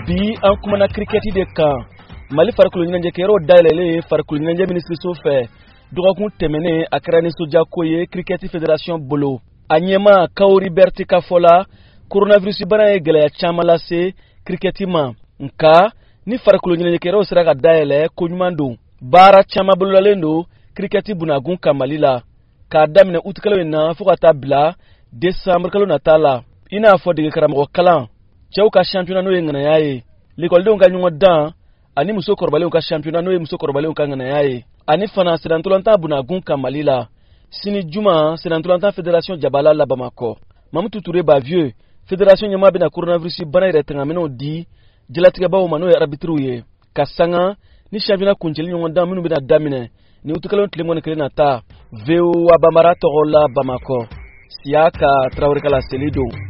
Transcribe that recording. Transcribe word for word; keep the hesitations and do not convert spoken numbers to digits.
Bi, an kumana kirikɛti de kan. Mali farikolo ɲɛnajɛkɛyɔrɔ dayɛlɛlen ye farikolo ɲɛnajɛ minisiriso fɛ dɔgɔkun tɛmɛnen, a kɛra nisɔndiyako ye kirikɛti fédération bolo. A ɲɛma Kawori Berti ka fɔ la, coronavirus bana ye gɛlɛya caman lase kirikɛti ma, nka ni farikolo ɲɛnajɛkɛyɔrɔw sera ka dayɛlɛ, ko ɲuman don. Baara caman bololalen don kirikɛti bunagun kan Mali la k'a daminɛ utikalo in na fɔɔ ka taa bila desanburu kalo nata la, i n'a fɔ dege karamɔgɔ kalan, cɛw ka championnat n'o ye ŋanaya ye, lekɔlidenw ka ɲɔgɔn dan, ani muso kɔrɔbalenw ka championnat n'o ye muso kɔrɔbalenw ka ŋanaya ye, ani fana sennantolatan bunagun kan Mali la. Sini juma, sennantolatan fédération jabala la Bamakɔ, Mamutu Ture Bavieux, fédération ɲɛmaa, bɛna coronavirus bana yɛrɛ tangaminɛw di jalatigɛbaw ma, n'o ye arbitriw ye, ka sanga ni championnat kuncɛli ɲɔgɔn dan minnu bɛna daminɛ ni utikalo tile mugan ni kelen nata. V O A Bambara tɔgɔ la Bamakɔ, Siyaka Tarawele ka laseli don.